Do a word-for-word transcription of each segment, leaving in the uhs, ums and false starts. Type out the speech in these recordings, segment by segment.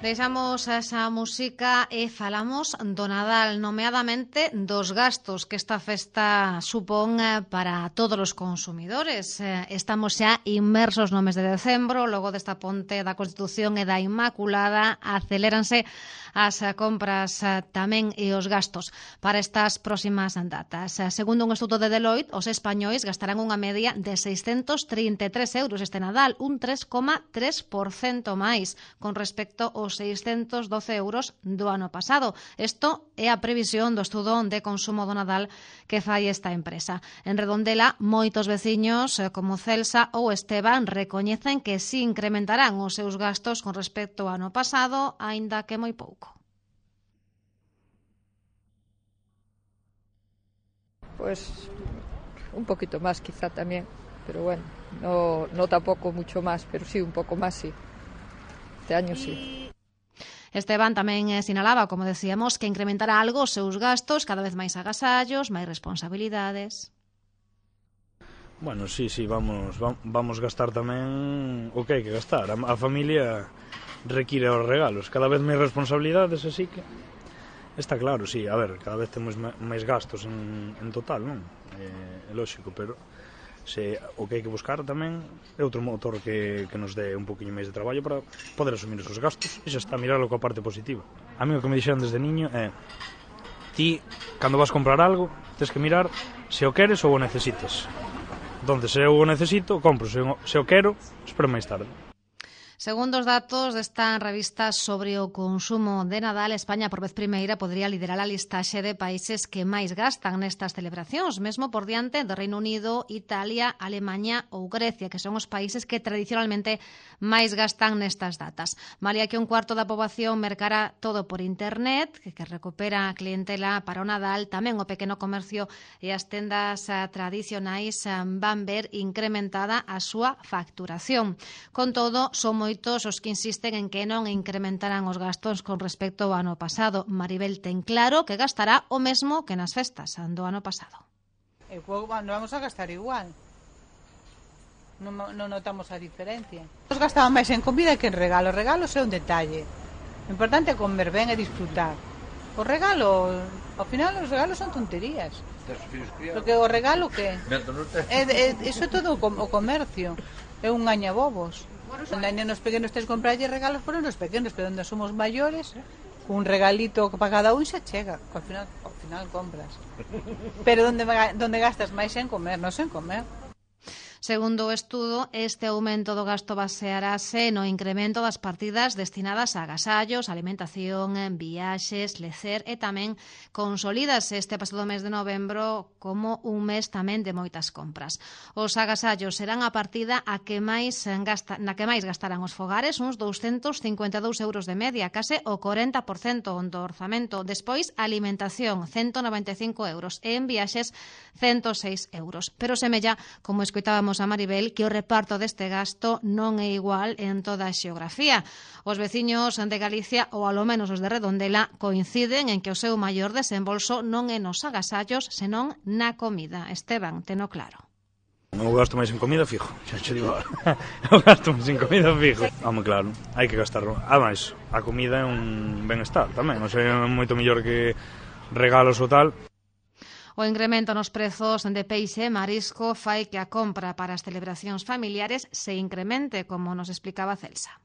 Deixamos esa música e falamos do Nadal, nomeadamente dos gastos que esta festa supón para todos os consumidores. Estamos xa inmersos no mes de decembro, logo desta ponte da Constitución e da Inmaculada, aceléranse as compras tamén e os gastos para estas próximas datas. Segundo un estudo de Deloitte, os españois gastarán unha media de seiscentos trinta e tres euros este Nadal, un tres coma tres por cento máis con respecto aos seiscentos doce euros do ano pasado. Isto é a previsión do estudo de consumo do Nadal que fai esta empresa. En Redondela, moitos veciños como Celsa ou Esteban recoñecen que si incrementarán os seus gastos con respecto ao ano pasado, aínda que moi pouco. Pues un poquito más quizá también, pero bueno, no, no tampoco mucho más, pero sí, un poco más sí. Este año sí. Esteban tamén sinalaba, como decíamos, que incrementará algo os seus gastos, cada vez máis agasallos, máis responsabilidades. Bueno, sí, sí, vamos vamos gastar tamén o que hai que gastar. A, a familia require os regalos, cada vez máis responsabilidades, así que está claro, sí, a ver, cada vez temos máis gastos en, en total, non? É, é lógico, pero se o que hai que buscar tamén é outro motor que, que nos dé un poquinho máis de traballo para poder asumir esos gastos e xa está, mirarlo coa parte positiva. A mí o que me dixeron desde niño é ti, cando vas comprar algo, tens que mirar se o queres ou o necesitas. Donde se eu o necesito, compro, se o, se o quero, espero máis tarde. Segundo os datos desta revista sobre o consumo de Nadal, España por vez primeira podría liderar a listaxe de países que máis gastan nestas celebracións, mesmo por diante do Reino Unido, Italia, Alemanha ou Grecia, que son os países que tradicionalmente máis gastan nestas datas. Malia que un cuarto da poboación mercará todo por internet, que, que recupera a clientela para o Nadal, tamén o pequeno comercio e as tendas tradicionais van ver incrementada a súa facturación. Con todo, son moi moitos os que insisten en que non incrementarán os gastos con respecto ao ano pasado. Maribel ten claro que gastará o mesmo que nas festas do ano pasado. E non vamos a gastar igual. Non, non notamos a diferencia. Nos gastamos máis en comida que en regalos. Regalos é un detalle. O importante é comer ben e disfrutar. Os regalos, ao final os regalos son tonterías. Porque o regalo que? É, é, iso é todo o comercio. É un gañabobos. Onde hai nenos pequenos tens que comprarlle regalos por nenos pequenos, pero onde somos maiores, un regalito para cada un xa chega, que ao final, ao final compras. Pero onde, onde gastas máis en comer, non en comer. Segundo o estudo, este aumento do gasto basearase no incremento das partidas destinadas a agasallos, alimentación, viaxes, lecer e tamén consolídase este pasado mes de novembro como un mes tamén de moitas compras. Os agasallos serán a partida a que máis gasta, na que máis gastarán os fogares, uns douscentos cincuenta e dous euros de media, case o corenta por cento do orzamento. Despois, alimentación, ciento noventa e cinco euros, e en viaxes, ciento seis euros. Pero semella, como escoitábamos a Maribel, que o reparto deste gasto non é igual en toda a xeografía. Os veciños de Galicia, ou alo menos os de Redondela, coinciden en que o seu maior desembolso non é nos agasallos, senón na comida. Esteban, teno claro. Eu gasto máis en comida fijo, xa xe digo agora. Eu gasto máis en comida fijo. Home, claro, hai que gastarlo. Ademais, a comida é un benestar tamén, non sei, é moito mellor que regalos ou tal. O incremento nos prezos de peixe e marisco fai que a compra para as celebracións familiares se incremente, como nos explicaba Celsa.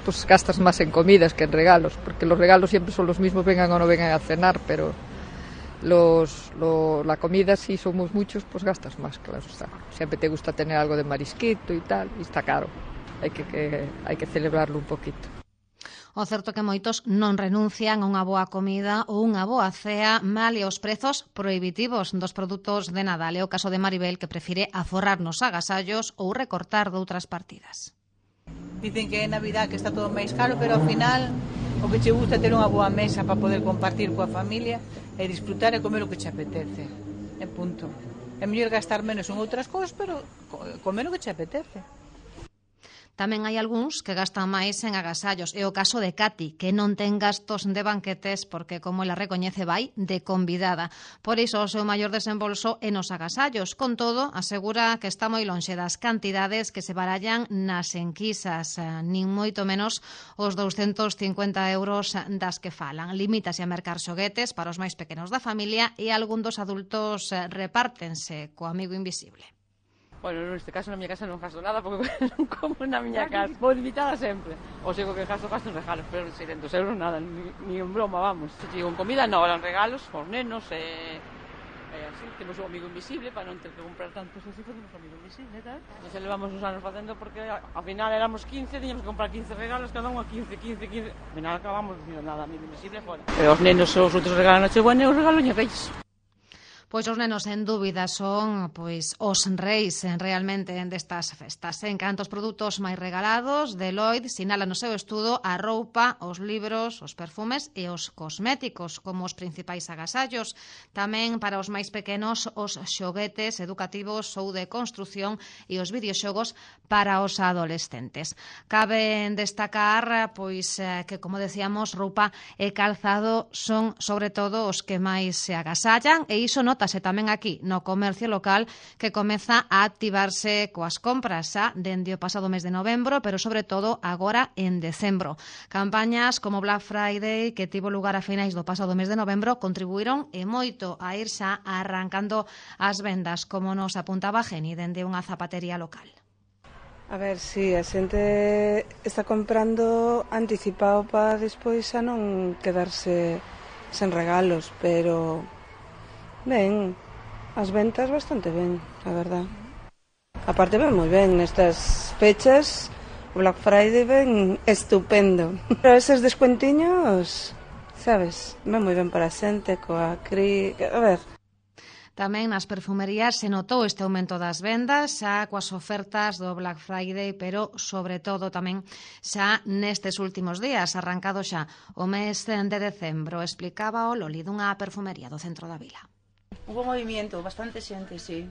Pues gastas más en comidas que en regalos, porque los regalos siempre son los mismos, vengan o no vengan a cenar, pero los, lo, la comida, si somos muchos, pues gastas más, claro está. Siempre te gusta tener algo de marisquito y tal, y está caro. Hay que, que, hay que celebrarlo un poquito. O certo que moitos non renuncian a unha boa comida ou unha boa cea, mal e os prezos prohibitivos dos produtos de Nadal. É o caso de Maribel, que prefire aforrar nos agasallos ou recortar doutras partidas. Dicen que é Navidad que está todo máis caro, pero ao final o que che gusta é ter unha boa mesa para poder compartir coa familia e disfrutar e comer o que che apetece. É punto. É mellor gastar menos en outras cousas, pero comer o que che apetece. Tamén hai algúns que gastan máis en agasallos. É o caso de Cati, que non ten gastos de banquetes porque, como ela recoñece, vai de convidada. Por iso, o seu maior desembolso é nos agasallos. Con todo, asegura que está moi lonxe das cantidades que se barallan nas enquisas, nin moito menos os douscentos cincuenta euros das que falan. Limítase a mercar xoguetes para os máis pequenos da familia e algún dos adultos repártense co amigo invisible. Bueno, neste caso na miña casa non gasto nada porque non como na miña casa. Vou invitada sempre. O sei que gasto, gasto en regalos, pero seiscentos euros nada, ni, ni en broma, vamos. Se digo en comida, non, eran regalos, os nenos, e... E así, temos un amigo invisible para non ter que comprar tantos así, facemos un amigo invisible, tal. E xa levamos uns anos facendo porque ao final éramos quince, teníamos que comprar quince regalos, cada un a quince, quince, quince. Ao final acabamos dicindo nada, amigo invisible fora. E os nenos os outros regalos Nochebuena e os regalos Reis. Pois os nenos, en dúbida, son pois os reis realmente destas festas. En canto aos produtos máis regalados, Deloitte sinala no seu estudo a roupa, os libros, os perfumes e os cosméticos como os principais agasallos. Tamén para os máis pequenos, os xoguetes educativos ou de construción e os videoxogos para os adolescentes. Cabe destacar pois que, como decíamos, roupa e calzado son, sobre todo, os que máis se agasallan, e iso non notase tamén aquí no comercio local, que comeza a activarse coas compras xa dende o pasado mes de novembro, pero sobre todo agora en decembro. Campañas como Black Friday, que tivo lugar a finais do pasado mes de novembro, contribuíron e moito a ir xa arrancando as vendas, como nos apuntaba Geni dende unha zapatería local. A ver, si, sí, a xente está comprando anticipado para despois xa non quedarse sen regalos, pero ben, as ventas bastante ben, a verdad. Aparte ven moi ben nestas fechas, o Black Friday ven estupendo. Pero eses descuentiños, sabes, ven moi ben para a xente, coa cri... A ver... Tamén nas perfumerías se notou este aumento das vendas, xa coas ofertas do Black Friday, pero sobre todo tamén xa nestes últimos días, arrancado xa o mes de decembro. Explicaba o Loli dunha perfumería do centro da vila. Hubo movimiento, bastante xente, sí.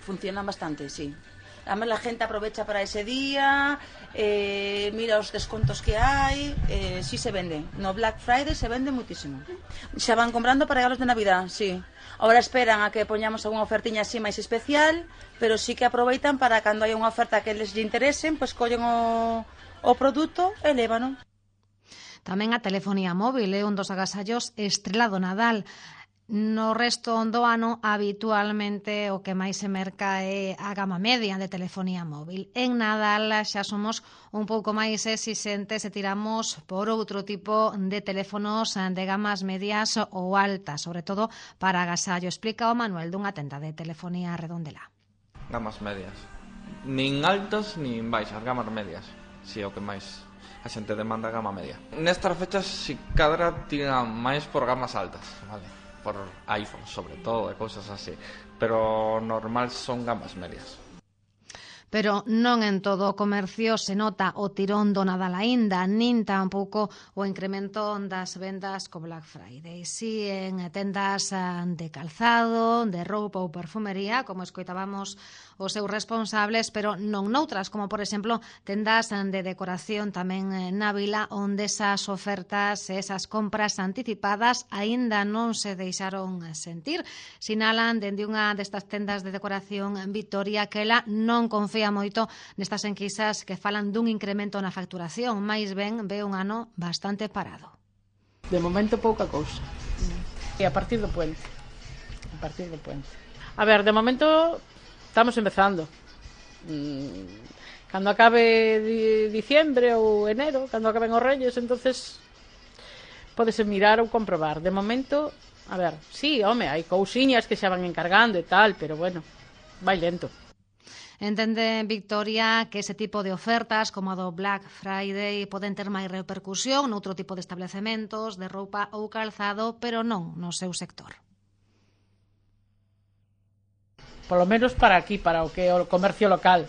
Funcionan bastante, sí. Además, la gente aprovecha para ese día, eh, mira os descontos que hai, eh, sí se vende. No Black Friday se vende muitísimo. Xa van comprando para regalos de Navidad, sí. Ahora esperan a que poñamos algunha ofertiña así máis especial, pero sí que aproveitan para cando hai unha oferta que les interesen, pois collen o, o produto e lévano. Tamén a telefonía móvil é un dos agasallos estrela do Nadal. No resto do ano, habitualmente, o que máis se merca é a gama media de telefonía móvil. En Nadal xa somos un pouco máis exixentes e tiramos por outro tipo de teléfonos de gamas medias ou altas, sobre todo para agasallo. Explica o Manuel dunha tenda de telefonía Redondela. Gamas medias. Nin altas, nin baixas, gamas medias. Si é o que máis a xente demanda, gama media. Nestas fechas, si cadra tiran máis por gamas altas, vale? Por iPhone, sobre todo, e cousas así. Pero normal son gamas medias. Pero non en todo o comercio se nota o tirón do Nadal aínda, nin tampouco o incremento das vendas co Black Friday. Si en tendas de calzado, de roupa ou perfumería, como escoitábamos os seus responsables, pero non noutras, como por exemplo tendas de decoración tamén na vila, onde esas ofertas, esas compras anticipadas aínda non se deixaron sentir. Sinalan dende unha destas tendas de decoración en Vitoria que ela non confía moito nestas enquisas que falan dun incremento na facturación, máis ben ve un ano bastante parado. De momento pouca cousa. E a partir do puente. A partir do puente. A ver, de momento estamos empezando. Cando acabe diciembre ou enero, cando acaben os Reyes, entonces pódese mirar ou comprobar. De momento, a ver, sí, home, hai cousiñas que xa van encargando e tal, pero bueno, vai lento. Entende Victoria que ese tipo de ofertas como a do Black Friday poden ter máis repercusión noutro tipo de establecementos de roupa ou calzado, pero non no seu sector. Polo menos para aquí, para o que é o comercio local.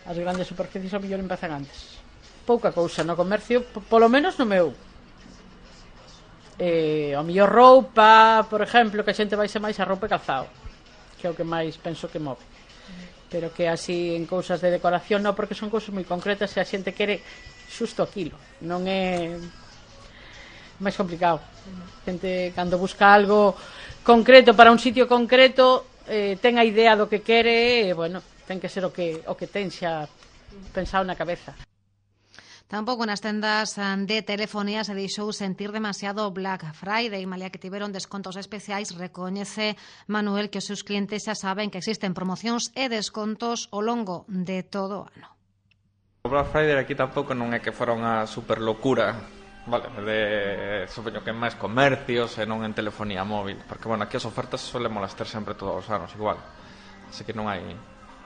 As grandes superficies ao mellor empezan antes. Pouca cousa no comercio, polo menos no meu. Eh, ao mellor roupa, por exemplo, que a xente vai ser máis a roupa e calzado, que é o que máis penso que move. pero que así en cousas de decoración non, porque son cousas moi concretas e a xente quere xusto aquilo, non é máis complicado. A xente cando busca algo concreto para un sitio concreto eh, ten a idea do que quere e, bueno, ten que ser o que, o que ten xa pensado na cabeza. Tampouco nas tendas de telefonía se deixou sentir demasiado Black Friday, malia que tiveron descontos especiais, recoñece Manuel que os seus clientes xa saben que existen promocións e descontos ao longo de todo o ano. O Black Friday aquí tampouco non é que fora unha super locura, vale, de, supoño que en máis comercios e non en telefonía móvil, porque, bueno, aquí as ofertas solemos ter sempre todos os anos igual, así que non hai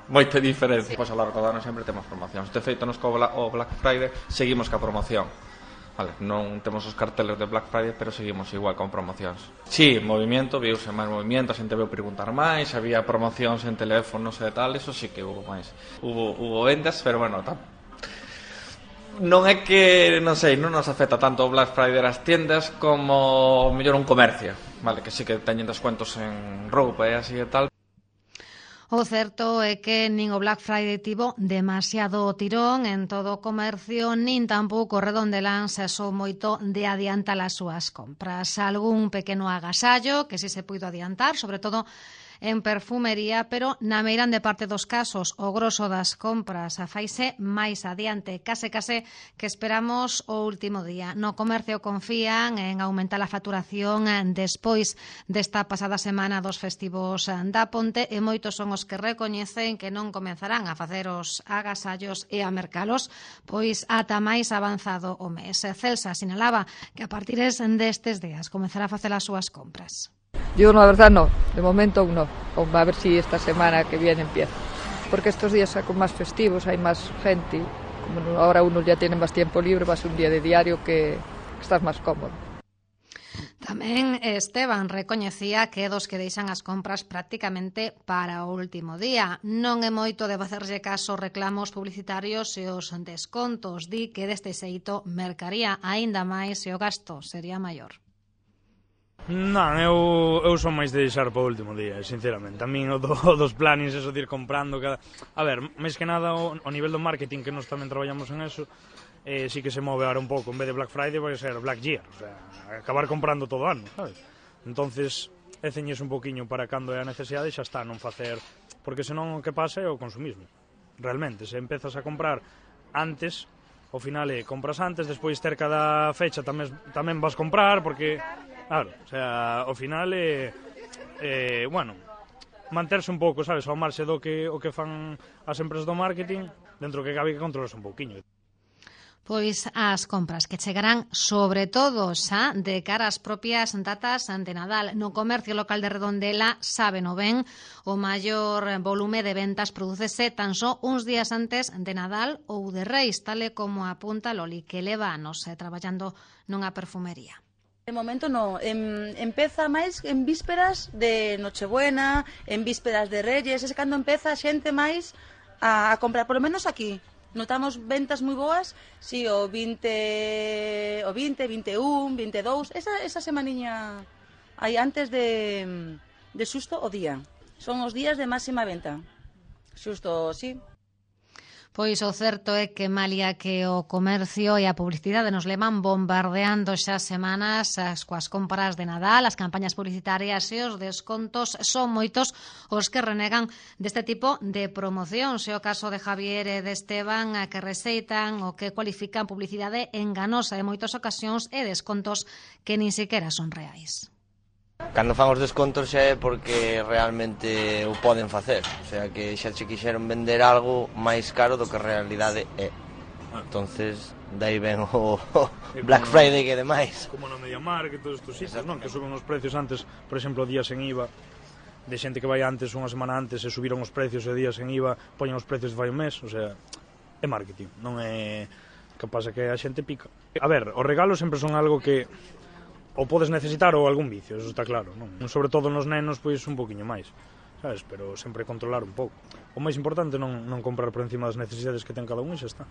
moita diferencia. Pois ao largo do ano sempre temos promocións. De feito, nos co o Black Friday seguimos ca promoción. Vale, non temos os carteles de Black Friday, pero seguimos igual con promocións. Sí, movimiento, viuse máis movimiento, a xente veu preguntar máis, había promocións en teléfonos e tal, eso sí que hubo máis. Hubo, hubo vendas, pero bueno, tam... non é que, non sei, non nos afecta tanto o Black Friday as tiendas como mellor un comercio, vale, que sí que teñen descuentos en roupa e así e tal. O certo é que nin o Black Friday tivo demasiado tirón en todo o comercio, nin tampouco Redondelán se asou moito de adiantar as súas compras. Algún pequeno agasallo que si se puido adiantar, sobre todo en perfumería, pero na meirande parte dos casos o groso das compras faise máis adiante, case case que esperamos o último día. No comercio confían en aumentar a facturación despois desta pasada semana dos festivos da Ponte e moitos son os que recoñecen que non comenzarán a facer os agasallos e a mercalos, pois ata máis avanzado o mes. Celsa sinalaba que a partir destes días comenzará a facer as súas compras. Yo, la verdad, no. De momento aún no. A ver si esta semana que viene empieza. Porque estos días con más festivos hay más gente. Como ahora uno ya tiene más tiempo libre, va a ser un día de diario que, que estás más cómodo. Tamén Esteban recoñecía que dos que deixan as compras prácticamente para o último día. Non é moito de facerlle caso reclamos publicitarios e os descontos. Di que deste xeito mercaría aínda máis e o gasto sería maior. Non, eu, eu son máis de deixar para o último día, sinceramente. A min o do, dos plannings, eso de ir comprando cada... A ver, máis que nada o, o nivel do marketing, que nós tamén traballamos en eso, eh, sí que se move ahora un pouco. En vez de Black Friday vai ser Black Year, o sea, acabar comprando todo o ano, sabes? Entonces, é ceñes un poquinho para cando é a necesidade e xa está, non facer... Porque senón o que pasa é o consumismo. Realmente, se empezas a comprar antes... Ao final é, compras antes, despois cerca da fecha tamén, tamén vas comprar, porque, claro, o sea, ao final é, é, bueno, manterse un pouco, sabes, ao marxe do que, o que fan as empresas do marketing, dentro que cabe que controlas un pouquiño. Pois as compras que chegarán sobre todo xa de cara ás propias datas de Nadal. No comercio local de Redondela sábeno ben, o maior volume de ventas prodúcese tan só uns días antes de Nadal ou de Reis, tal e como apunta Loli, que leva anos eh, traballando nunha perfumería. De momento no, em, empeza máis en vísperas de Nochebuena, en vísperas de Reyes, é cando empeza a xente máis a, a comprar, por lo menos aquí. Notamos ventas moi boas, si, o vinte, o vinte, vinte e un, vinte e dous, esa, esa semaniña aí antes de, de xusto o día. Son os días de máxima venta. Xusto, sí. Pois o certo é que malia que o comercio e a publicidade nos levan bombardeando xa semanas as coas compras de Nadal, as campañas publicitarias e os descontos, son moitos os que renegan deste tipo de promoción. Se o caso de Javier e de Esteban, que receitan o que cualifican publicidade enganosa en moitas ocasións e descontos que nin sequera son reais. Cando fan os descontos xa é porque realmente o poden facer, o sea que xa se quixeron vender algo máis caro do que a realidade é. Entonces, dai ben o, o Black Friday que demais. Como no Mediamar, que todos estos sitios, non? Que suben os precios antes, por exemplo, días en I V A, de xente que vai antes, unha semana antes, e subiron os precios e días en I V A, poñen os precios de vai un mes, o sea, é marketing, non é... Que pasa que a xente pica. A ver, os regalos sempre son algo que o podes necesitar ou algún vicio, eso está claro, non? Sobre todo nos nenos, pois un poquinho máis, sabes? Pero sempre controlar un pouco. O máis importante non, non comprar por encima das necesidades que ten cada un e xa está.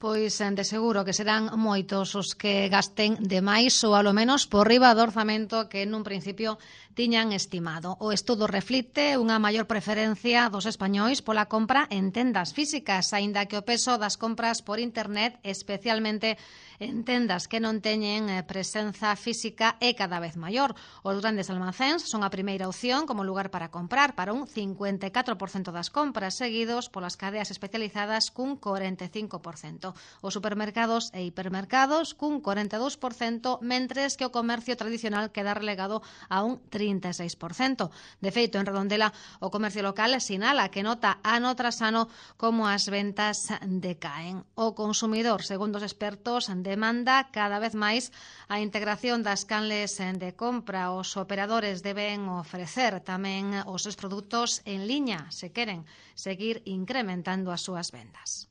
Pois de seguro que serán moitos os que gasten de máis ou alo menos por riba do orzamento que nun principio tiñan estimado. O estudo reflite unha maior preferencia dos españois pola compra en tendas físicas, aínda que o peso das compras por internet, especialmente en tendas que non teñen presenza física, é cada vez maior. Os grandes almacéns son a primeira opción como lugar para comprar, para un cincuenta e catro por cento das compras, seguidos polas cadeas especializadas cun corenta e cinco por cento. Os supermercados e hipermercados cun corenta e dous por cento, mentres que o comercio tradicional queda relegado a un trinta e seis por cento. De feito, en Redondela, o comercio local sinala que nota ano tras ano como as ventas decaen. O consumidor, segundo os expertos, demanda cada vez máis a integración das canles de compra. Os operadores deben ofrecer tamén os seus produtos en liña se queren seguir incrementando as súas vendas.